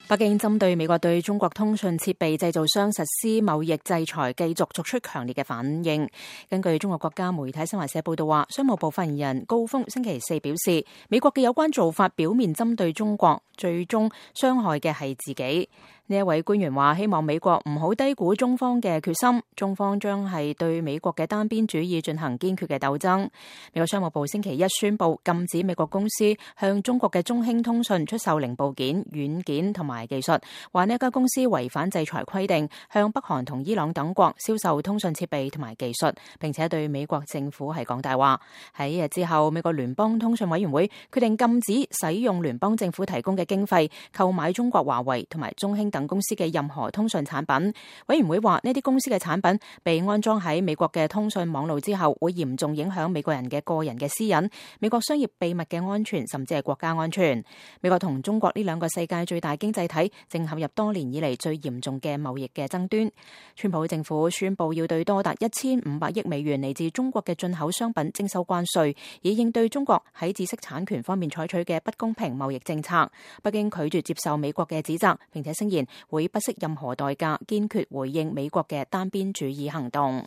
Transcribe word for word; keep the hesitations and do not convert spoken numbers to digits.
北京針對美國對中國通訊設備製造商實施貿易制裁，繼續作出強烈嘅反應。根據中國國家媒體新華社報道話，商務部發言人高峰星期四表示，美國嘅有關做法表面針對中國，最終傷害嘅係自己。呢一位官員話，希望美國唔好低估中方嘅決心，中方將係對美國嘅單邊主義進行堅決嘅鬥爭。美國商務部星期一宣布禁止美國公司向中國嘅中興通訊出售零部件、軟件同埋技術，話呢一家公司違反制裁規定，向北韓同伊朗等國銷售通訊設備同埋技術，並且對美國政府係講大話。喺一日之後，美國聯邦通訊委員會決定禁止使用聯邦政府提供嘅經費購買中國華為同埋中興等公司嘅任何通訊產品。委員會話呢啲公司嘅產品被安裝喺美國嘅通訊網路之後，會嚴重影響美國人嘅個人嘅私隱、美國商業秘密嘅安全，甚至係國家安全。美國同中國呢兩個世界最大經濟體正陷入多年以嚟最嚴重嘅貿易嘅爭端。川普政府宣布要對多達一千五百億美元嚟自中國嘅進口商品徵收關稅，以應對中國喺知識產權方面採取嘅不公平貿易政策。北京拒絕接受美國嘅指責，並且聲言會不惜任何代價堅決回應美國嘅單邊主義行動。